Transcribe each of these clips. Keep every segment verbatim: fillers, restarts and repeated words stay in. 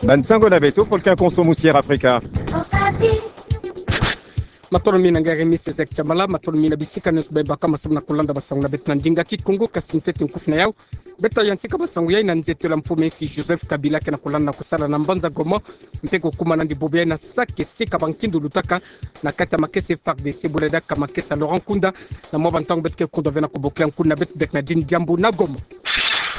Bansango na beto, Volcan Konso, Musière Afrika. Matondo mingi na nge Miss Ezek Chamala, matondo mingi na bisika nyonso bebaka masamu na kolanda bansango na beto na ndinga Kikongo, kasi ntete nkufi na yau. Beta yantika bansango yai na nzietolo ya mfumu ya insi Joseph Kabila ke na kolanda na kosala na mbanza Goma, mpe kokuma nandi bubu yai na Sake, sika bankindu lutaka na kati ya makesa F A R D C, bwela diaka makesa Laurent Nkunda, na mwa bantango beto ke kundwa ve na kobokila nkundu na beto. Bernardine Diambu na Goma.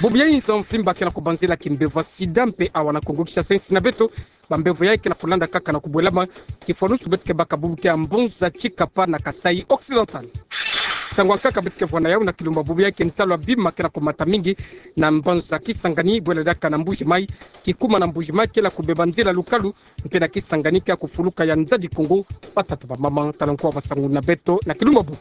Bubu yai nza mvimba ke na kobanzila kimbevo ya sida mpe awa na Kongo Kinshasa, insi na beto, bambevo yai ke na kolanda kaka na kobwelama, kifwanusu beto ke baka bubu ke ya Mbonza, Tshikapa na Kasaï Occidental. Nsangu ya nkaka beto ke vwa na yau na kilumbu ya bubu yai ke ntalo ya bima ke na komata mingi na mbanza Kisangani, bwela diaka na Mbuji-Mayi, kikuma na Mbuji-Mayi kele ya kobeba nzila lukalu, mpe na Kisangani ke ya kofuluka ya nzadi Kongo, batata, bamama, tala nko ya bansango na beto na kilumbu ya bubu.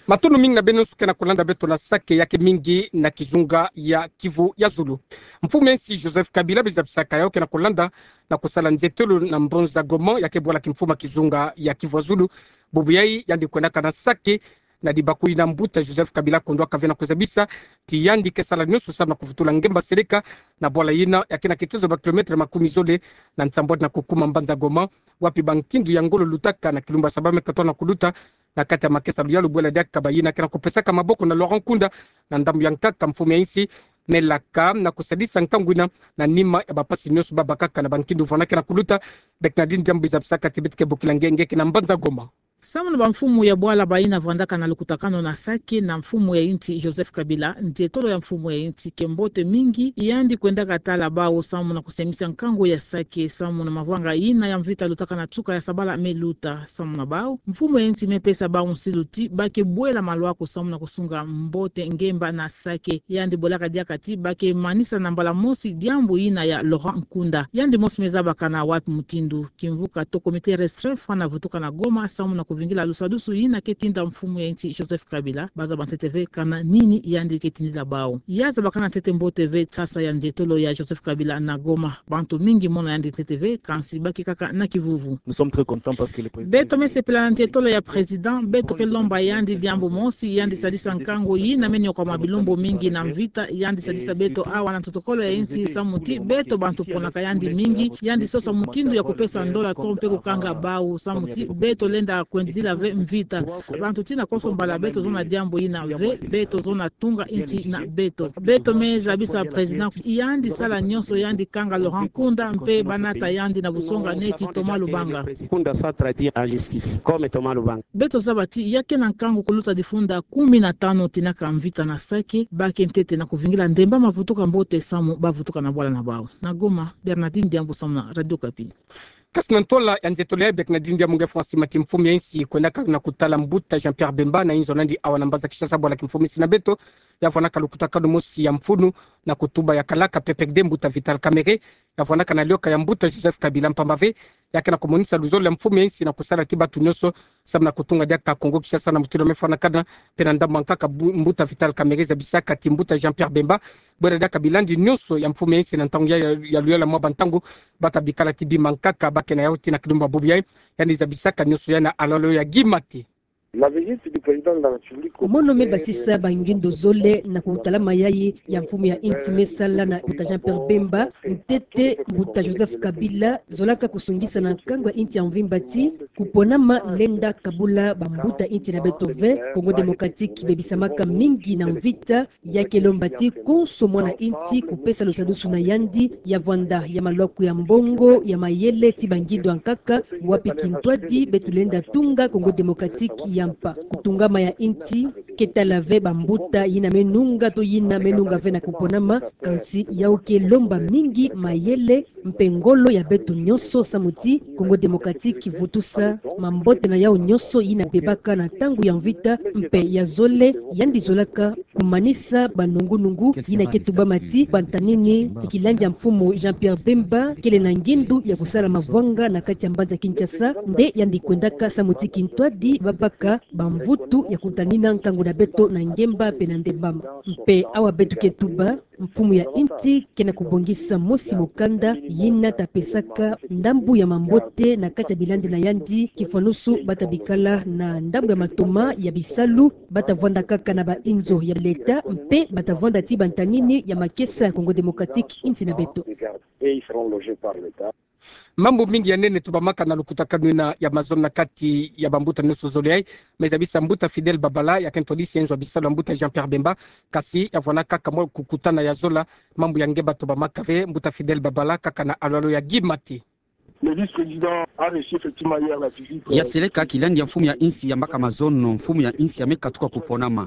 Matondo mingi na beno nyonso ke na kolanda beto na Sake, ya ke mingi na kizunga ya Kivu ya zulu. Mfumu ya insi Joseph Kabila, beno zabisaka yau, ke na kolanda na kosala nzietolo na Mbonza Goma, ya ke bwala kimfumu ya kizunga ya Kivu ya zulu. Bubu yai yandi kwendaka na Sake na dibakuli na mbuta Joseph Kabila, kondwaka ve na kozabisa ti yandi ke sala nyonso samu na kuvutula ngemba seleka na bwala yina ya ke na kitezo ba kilometre makumi zole na nsambwadi na kokuma mbanza Goma, wapi bankindu ya ngolo lutaka na kilumbu ya saba me katona koluta na kati ya makesa luyalu, bwela diaka bayina ke na kopesaka maboko na Laurent Nkunda. Na ndambu ya nkaka, mfumu ya insi amelaka na kosadisa nkangu yina na nima ya bampasi nyonso babakaka na bankindu vwanda ke na koluta. Bernardine Diambu, beno zabisaka ti beto ke bokila nge, nge ke na mbanza Goma. Samu na bamfumu ya bwala bayina vwandaka na lukutakanu na Sake na mfumu ya insi Joseph Kabila, nzietolo ya mfumu ya insi ke mbote mingi, yandi kwendaka tala bau samu na kosemisa nkangu ya Sake samu na mavanga yina ya mvita lutaka na nsuka ya sabala me luta. Samu na bau, mfumu ya insi amepesa bau nsilu ti ba ke bwela malwaku samu na kosunga mbote ngemba na Sake. Yandi bwelaka diaka ti ba ke manisa na mbala mosi diambu yina ya Laurent Nkunda. Yandi mosi amezabaka na wapi mutindu kimvuka to comité restreint fwana vutuka na Goma samu na kovingila lusadusu yina ke tinda mfumu ya insi Joseph Kabila. Bazaba ntete ve kana nini yandi ke tindila bau. Ya zabakana ntete mbote ve nsasa ya nzietolo ya Joseph Kabila na Goma. Bantu mingi mona yandi ntete ve, kansi ba ke kaka na kivuvu. Nous sommes très contents parce que le président... Beto mesepela na nzietolo ya président, beto ke lomba yandi diambu mosi, yandi sadisa nkangu yina me niokwama bilumbu mingi na mvita, yandi sadisa beto awa na ntotokolo ya insi samu ti beto bantu ponaka yandi mingi, yandi sosa mutindu ya kopesa ndola to mpe kokanga bau samu ti beto lenda kwendila ve mvita. Bantu tina konso mbala beto zona diambu yina ve, beto zona tunga insi na beto. Beto me zabisa président yandi sala nyonso, yandi kanga Laurent Nkunda mpe ba nata yandi na busonga neti Thomas Lubanga. Nkunda soit traité en justice, comme Thomas Lubanga. Beto zaba ti ya ke na nkangu koluta difunda kumi na tanu tina ka mvita na Sake, ba ke ntete na kovingila ndemba ma vutuka mbote samu ba vutuka na bwala na bau. Na Goma, Bernardine Diambu samu na Radio Okapi. Kasi na ntola ya nzietolo ya Bernardine Diambu, nge fwa sima ti mfumu ya insi kwendaka na kotala mbuta Jean-Pierre Bemba na inzo nandi awa na mbanza Kinshasa, bwala kimfumu insi na beto, ya vwanaka lukutakanu mosi ya mfunu na kotuba ya kalaka P P R D, mbuta Vital Kamerhe, ya vwanaka na lioka ya mbuta Joseph Kabila, mpamba ve ya ke na komonisa luzolo ya mfumu ya insi na kosala ti bantu nyonso samu na kotunga diaka Kongo Kinshasa na mutilu me fwanakana. Mpe na ndambu ya nkaka bu-, mbuta Vital Kamerhe zabisaka ti mbuta Jean-Pierre Bemba, bwela diaka bilandi nyonso ya mfumu ya insi na ntangu ya, ya, ya luyalu ya mwa bantangu, ba ta bikala ti bima nkaka ba ke na yau tina kilumbu ya bubu yai. Yandi zabisaka nyonso yai na alalo ya Guy Mathe. La visite du président de la République au... Mono me basisa bangindo zole na kotala mayai ya mfumu ya insi me sala na mbuta Jean-Pierre Bemba. Ntete mbuta Joseph Kabila zolaka kosungisa na nkangu ya insi ya mvimba ti koponama lenda kabula bambuta insi na beto ve. Congo Démocratique bebisamaka mingi na mvita, ya ke lomba ti konso mwana insi kopesa lusadusu na yandi, ya vwanda ya malwaku ya mbongo, ya mayele ti bangindo ya nkaka, wapi kintwadi beto lenda tunga Congo Démocratique ya mpa. Kotungama ya insi ke tala ve bambuta yina me nunga to yina me nunga ve na koponama, kansi yau ke lomba mingi mayele mpe ngolo ya beto nyonso samu ti Congo Démocratique vutusa mambote na yau nyonso yina bebaka na ntangu ya mvita. Mpe ya zole, yandi zolaka komanisa banungunungu yina ke tubama ti bantanini ti kilandi ya mfumu Jean-Pierre Bemba kele na ngindu ya kosala mavwanga na kati ya mbanza Kinshasa, nde yandi kwendaka samu ti kintwadi babaka bamvutu ya kotanina nkangu na beto na ngemba mpe na ndembama. Mpe awa beto ke tuba, Mfumu ya insi ke na kubongisa mosi mukanda yina ta pesaka ndambu ya mambote na kati ya bilandi na yandi, kifwanusu bata bikala na ndambu ya matoma ya bisalu, bata vwanda kaka na bainzo ya leta, mpe bata vwanda ti bantanini ya makesa ya Congo Démocratique, insi na beto. Mambu mingi ya nene tubamaka na lukutakanu yina ya mazono na kati ya bambuta nyonso zole yayi, mais zabisa mbuta Fidèle Babala, ya ke ntwadisi ya inzo ya bisalu ya mbuta Jean-Pierre Bemba, kasi ya vwanda kaka mwa kukutana ya zola, mambu ya nge ba tubamaka ve, mbuta Fidèle Babala, kaka na alwalo ya Guy Maté. Le vice-président a reçu effectivement hier la visite, euh, ya seleka kilandi ya mfumu ya insi ya mbaka mazono, mfumu ya insi ya me katuka kuponama.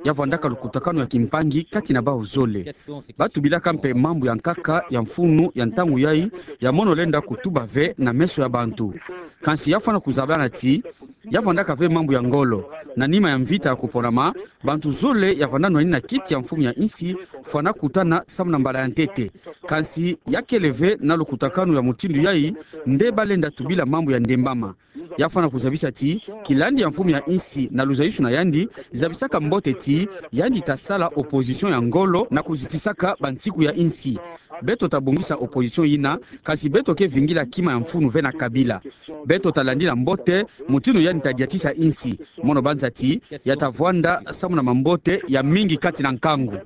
Ya vwandaka lukutakanu ya kimpangi kati na bawu zole. Ba tubilaka mpe mambu ya nkaka ya mfunu ya ntangu yayi, ya mono lenda kutuba ve na meso ya bantu. Kansi ya fwana kuzabana ti ya vwandaka ve mambu ya ngolo. Na nima ya mvita ya kuponama, bantu zole ya vwanda nwani na kiti ya mfumu ya insi fwana kutana samu na mbala ya ntete. Kansi ya kele ve na lukutakanu ya mutindu yayi nde ba lenda tubila mambu ya ndembama. Ya fwana kuzabisa ti kilandi ya mfumu ya insi na luzayusu na yandi zabisaka mbote ti yandi ta sala opposition ya ngolo na kuzitisaka bansiku ya insi. Beto ta bongisa opposition yina, kansi beto ke vingila kima ya mfunu ve na Kabila. Beto ta landila mbote mutindu yandi ta diatisa insi. Mono banza ti ya ta vwanda samu na mambote ya mingi kati na nkangu.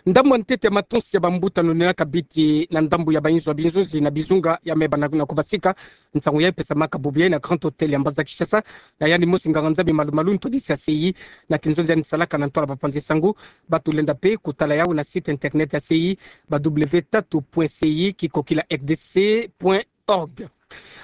Ndambu ya ntete ya matonsi ya bambuta nonenaka biti na ndambu ya bainzo ya binzonzi na bizunga ya me bana na kubasika. Nsangu yayi pesamaka bubu yayi na Grand Hôtel ya mbanza Kinshasa, na yandi mosi nganga-Nzambi malu-malu ntwadisi ya C I na kinzonzi yandi salaka na ntwala bapanzi-nsangu. Ba tulenda mpe kutala yawu na site internet ya C I, ba W tatu point C I kikokila R D C point org.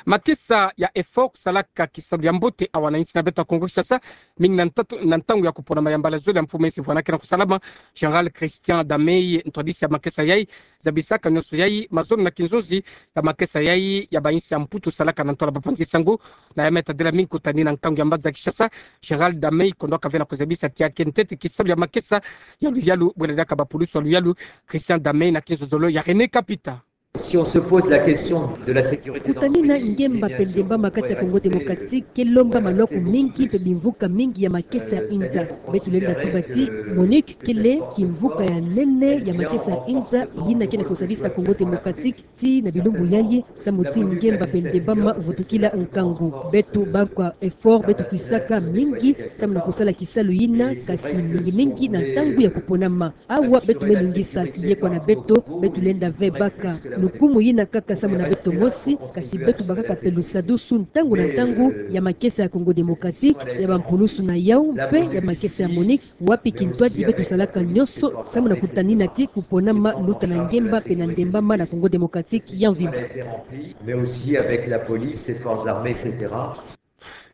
Makesa ya EFOR salaka kisalu ya mbote awa na insi na beto ya Kongo Kinshasa, mingi na ntatu, na ntangu ya kuponama ya mbala zole ya mfumu ya insi vwana ke na kusalama. Général Christian Damei, ntwadisi ya makesa yayi, zabisaka nyonso yayi mazono na kinzonzi ya makesa yayi ya bainsi ya Mputu salaka na ntwala bapanzi-nsangu. Na ya me tadila mingi kutani na nkangu ya mbanza Kinshasa, Général Damei kondwaka ve na kuzabisa ti ya ke ntete kisalu ya makesa ya luyalu, bwela diaka bapulusu ya luyalu. Christian Damei na kinzonzolo ya René Kapita. Si on se pose la question de la sécurité dans ce pays, kutani na ngemba mpe ndembama kati ya Congo Démocratique ke lomba maloko mingi mpe bimvuka mingi ya makesa ya inza. Beto lenda tuba ti MONUC kele kimvuka ya nene ya makesa ya inza yina ke na kusalisa Congo Démocratique tii na bilumbu yayi, samu ti ngemba mpe ndembama vutukila nkangu. Beto bankwa EFOR beto kwisaka mingi samu na kusala kisalu yina, kasi mingi-mingi na ntangu ya kuponama. Awa beto me ningisa kiyekwa na beto, beto lenda ve baka lukumu yina kaka samu na beto mosi, kasi beto bakaka mpe lusadusu ntangu na ntangu ya makesa ya Congo Démocratique, ya bampulusu na yawu mpe ya makesa ya MONUC, wapi kintwadi beto salaka nyonso samu na kutanina ti kuponama luta na ngemba mpe na ndembama na Congo Démocratique ya mvimba. Mais aussi avec la police, les forces armées, et cetera.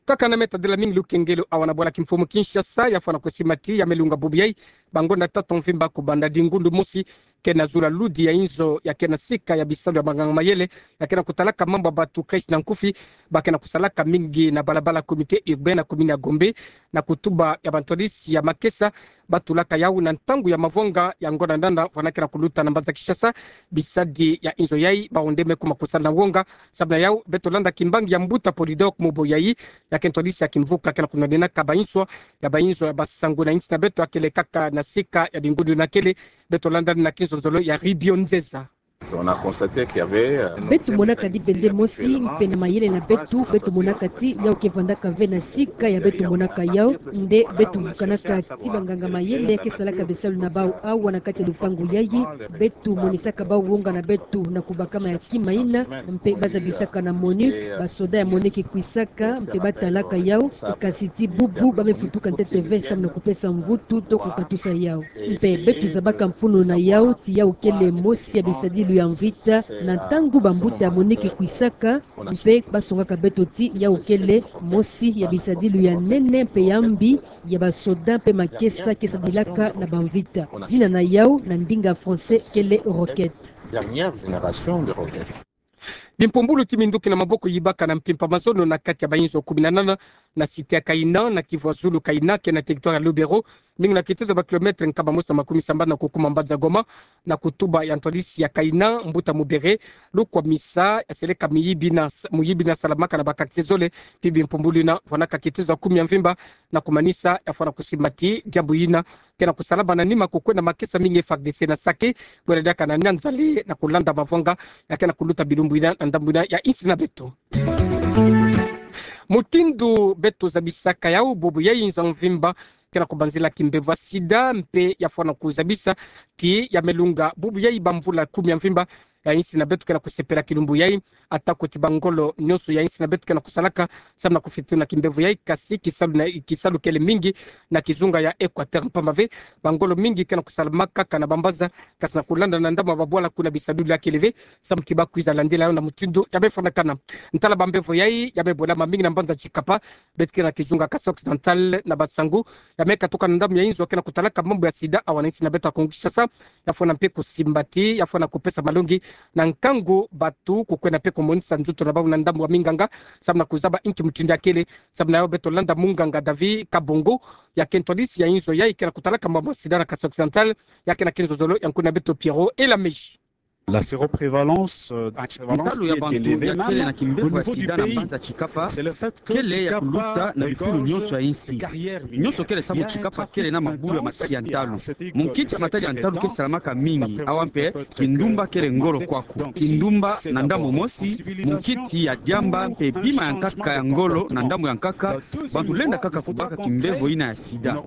Kaka na me tadila mingi lukengelo awa na bwala kimfumu Kinshasa, ya fwana kusimba ti ya me lunga bubu yayi bangonda tatu mvimba kubanda dingundu mosi ke na zula ludi ya inzo ya ke na sika ya bisalu ya banganga-mayele, ya ke na kutalaka mambu ya batu crèche na nkufi, ba ke na kusalaka mingi na balabala comité urbain na commune ya Gombe, na kutuba ya bantwadisi ya makesa, ba tulaka yawu na ntangu ya mavonga ya ngonda ndanda vwana ke na kuluta na mbanza Kinshasa. Bisadi ya inzo yayi bawu nde me kuma kusala na wonga. Samu na yawu beto landa kimbangi ya mbuta Polydor Muboyayi, ya ke ntwadisi ya kimvuka ke na kunwanenaka banswa ya bainzo ya basangu na insi na beto, ya kele kaka na sika ya dingundu na kele. Beto landa na kinzonzolo ya Ribio Nzeza. On a constaté qu'il y avait, euh, beto monaka dibende mosi mpe na mayele na beto, beto monaka ti yawu ke vandaka ve na sika ya beto monaka yawu. Nde beto vukanaka ti banganga-mayele ke salaka bisalu na bawu awa na kati ya lupangu yayi. Beto monisaka bawu wonga na beto na kubakama ya kima yina, mpe ba zabisaka na MONUC, basoda ya MONUC kwisaka mpe ba talaka yawu, kasi ti bubu ba me futuka ntete ve samu na kupesa mvutu to kukatusa yawu. Mpe beto zabaka mfunu na yawu ti yawu kele mosi ya bisadilu ya mvita. Na ntangu bambuta ya MONUC kwisaka, mpe ba songaka beto ti yawu kele mosi ya bisadilu ya nene mpe ya mbi ya basoda mpe makesa ke sadilaka na bamvita. Zina na yawu na ndinga français kele roquette. Dernière génération de roquettes. Bimpumbulu ti minduki na maboko yibaka na mpimpa mazono na kati ya bainzo kumi na nana na cité ya Kaina, na kivu ya zulu Kaina, ke na territoire ya Lubero, mingi na kitezo ya ba kilomètre nkama mosi na makumisambanu na kukuma mbanza Goma, na kutuba ya ntwadisi ya Kaina, mbuta Mubere, lukwamisa ya seleka miyibi na, miyibi na salamaka na ba quartier zole, mpi bimpumbulu yina, vwanaka kitezo ya kumi ya mvimba, na kumanisa ya fwana kusimbati diambu yina, ke na kusalama na nima kukwenda makesa mingi F A R D C na sake, bwela diaka na nyanzale na kulanda mavwanga ya ke na kuluta bilumbu yina na ndambu yina ya insi na beto. Mutindu beto zabisaka yau bubu yai nza mvimba, ke na kubanzila kimbevo ya sida, mpe ya fwana kuzabisa ti ya me lunga bubu yai ba mvula kumi ya mvimba, ya insi na beto ke na kusepela kilumbu yai, ata kuti ba ngolo nyonso ya insi na beto ke na kusalaka samu na kufutuna kimbevo yai, kasi kisalu na, kisalu kele mingi na kizunga ya Equateur mpamba ve, ba ngolo mingi ke na kusalamaka kaka na ba mbanza, kasi na kulanda na ndambu ya ba bwala kuna bisadulu ya kele ve, samu ki ba kwiza landila yau na mutindu ya me fwanakana. Ntala ba mbevo yai, ya me bwelama mingi na mbanza Tshikapa, beto ke na kizunga Kasaï Occidental na ba nsangu ya me katuka na ndambu ya inzo ke na kutalaka mambu ya sida awa na insi na beto ya Kongo Kinshasa, ya fwana mpe kusimbati, ya fwana kupesa malongi na nkangu batu kukwenda mpe kumonisa nzutu na bau na ndambu ya minganga, samu na kuzaba inki mutindu ya kele, samu na yau beto landa munganga David Kabongo, ya ke ntwadisi ya inzo yai ke na kutalaka mambu ya sida na Kasaï Occidental, ya ke na kinzozolo ya nkuna beto Pierrot Elameji. La séroprévalence, euh, ntalu ya bantu ya kele na kimbevo ya sida na mbanza Tshikapa kele ya kuluta na bifulu nyonso ya insi. Nyonso kele samu Tshikapa kele na mabulu ya matadi ya ntalu. Munkiti ya matadi ya ntalu ke salamaka mingi, awa mpe kindumba kele ngolo kwaku. Kindumba na ndambu mosi, munkiti ya diamba mpe bima ya nkaka ya ngolo na ndambu ya nkaka, bantu lenda kaka kubaka kimbevo yina ya sida.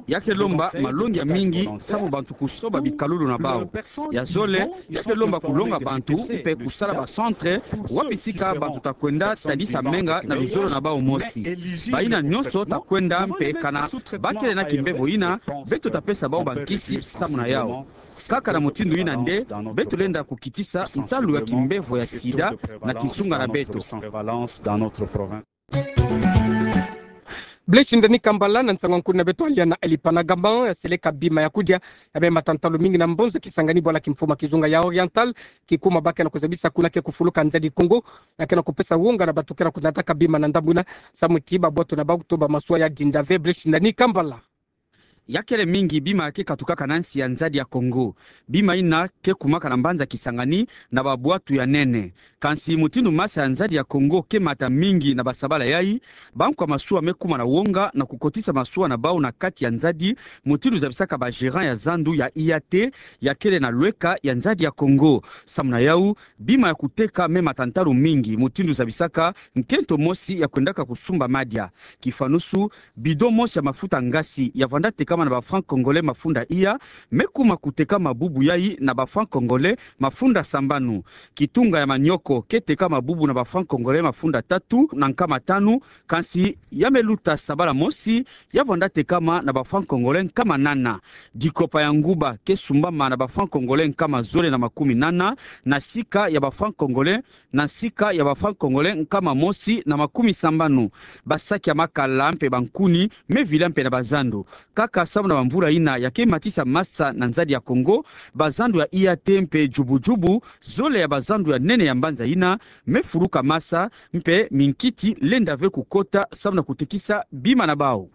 Ya ke lomba malongi ya mingi samu bantu kusoba bikalulu na bau. Ya zole, ya ke lomba kulonga bantu mpe kusala ba centre, wapi sika bantu ta kwenda tadisa menga na luzolo na bau mosi. Bayina nyonso ta kwenda mpe kana ba kele na kimbevo yina, beto ta pesa bau bankisi samu na yau. Kaka na mutindu yina nde beto lenda kukitisa ntalu ya kimbevo ya sida na kizunga na beto. Blaise Ndani Kambala, na nsangu ya nkuna beto Aliana Alipanagama, ya seleka bima ya kudia, ya me mata ntalu mingi na mbonza Kisangani, bwala kimfumu ya kizunga ya Oriental, kikuma ba ke na kuzabisa kuna ke kufuluka nzadi Kongo, ya ke na kupesa wonga na bantu ke na kunataka bima na ndambu yina, samu ti ba bwatu na bau to ba masuwa ya dinda ve. Blaise Ndani Kambala. Ya kele mingi bima ya ke katukaka na nsi ya nzadi ya Kongo. Bima yina ke kumaka na mbanza Kisangani na ba bwatu ya nene. Kansi mutindu masa ya nzadi ya Kongo ke mata mingi na ba sabala yai, bankwa masuwa me kuma na wonga na kukotisa masuwa na bau na kati ya nzadi, mutindu zabisaka ba gérant ya zandu ya I A T, ya kele na lweka ya nzadi ya Kongo. Samu na yau, bima ya kuteka me mata ntalu mingi, mutindu zabisaka nkento mosi ya kwendaka kusumba madia. Kifanusu, bidon mosi ya mafuta ngasi ya vanda tekama na ba francs congolais mafunda iya, me kuma kutekama bubu yai na ba francs congolais mafunda sambanu. Kitunga ya manioko ke tekama bubu na ba francs congolais mafunda tatu na nkama tanu, kansi ya me luta sabala mosi, ya vanda tekama na ba francs congolais nkama nana. Dikopa ya nguba ke sumbama na ba francs congolais nkama zole na makumi nana, na sika ya ba francs congolais na sika ya ba francs congolais nkama mosi na makumi sambanu. Ba saki ya makala mpe ba nkuni me vila mpe na ba zandu. Kaka samu na ba mvula yina ya ke matisa masa na nzadi ya Kongo, ba zandu ya I A T mpe jubu-jubu, zole ya ba zandu ya nene ya mbanza yina, me fuluka masa, mpe minkiti lenda ve kukota samu na kutekisa bima na bau.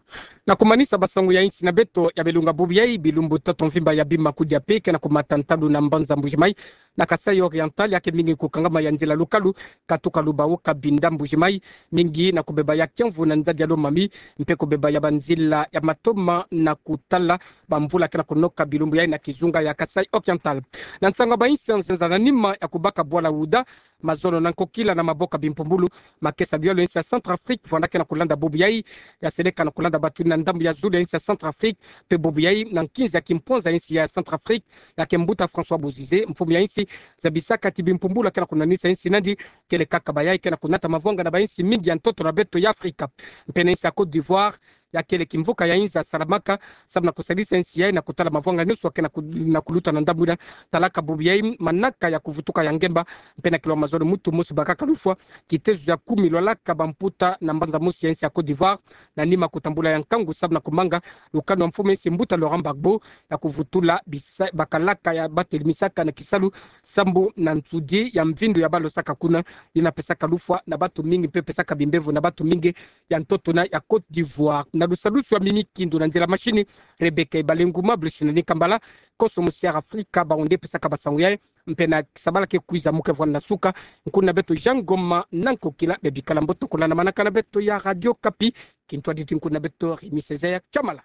Na kumanisa ba sangu ya insi na beto ya bilunga bubu yai, bilumbu toto mvimba ya bima kudia mpe ke na kumata ntalu na mbanza Mbuji-Mayi, na Kasaï Oriental, ya ke mingi kukangama ya nzila lukalu katuka Lubao, Cabinda, Mbuji-Mayi, mingi na kubeba ya kiamvu na nzadi ya Lomami, mpe kubeba ya ba nzila ya matoma na kutala ba mvula ke na kunoka bilumbu yai na kizunga ya Kasaï Oriental. Na nsangu ya ba insi ya nzenza, na nima ya kubaka bwala wuda, mazono na nkokila na maboko ya bimpumbulu, makesa bialo ya insi ya Centrafrique, vanda ke na kulanda bubu yai, ya seleka na kulanda batuni na ndambu ya zulu ya insi ya Centrafrique, mpe bubu yai na nkinzi ya kimponza ya insi ya Centrafrique, ya ke mbuta François Bozizé, mfumu ya insi, zabisaka ti bimpumbulu ya ke na kunwanisa insi nandi, kele kaka bayai ke na kunata mavwanga na ba insi mingi ya ntoto na beto ya Afrika. Mpe na insi ya Côte d'Ivoire, ya kele kimvuka ya inza salamaka, samu na kusalisa nsi yayi na kutala mavwanga nyonso ya ke na ku-, na kuluta na ndambu ina. Talaka bubu yayi manaka ya kuvutuka ya ngemba, mpe na kilwa mazono mutu mosi bakaka lufwa, kitezo ya kumi lwalaka bamputa na mbanza mosi ya nsi ya Côte d'Ivoire, na nima kutambula ya nkangu samu na kumanga lukanu ya mfumu ya nsi mbuta Laurent Gbagbo, ya kuvutula bisa-, bakalaka ya batelemisaka na kisalu sambu na nsudi ya mvindu ya balosaka kuna, ina pesaka lufwa na bantu mingi mpe pesaka bimbevo na bantu mingi ya ntoto na ya Côte d'Ivoire. Na lusalusu ya Mimi Kindu, na nzila mashini Rebecca Ibalenguma, Blushina Nikambala, Koso Musiara Afrika, bawu nde pesaka basangu yayi, mpe na sabala ke kwiza mu ke vwanda na suka, nkuna beto Jean Ngoma na nkokila, bebikala mbote, kolanda manaka na beto ya Radio Okapi, kintwadidi nkuna beto Rémy Césaire Kiamala.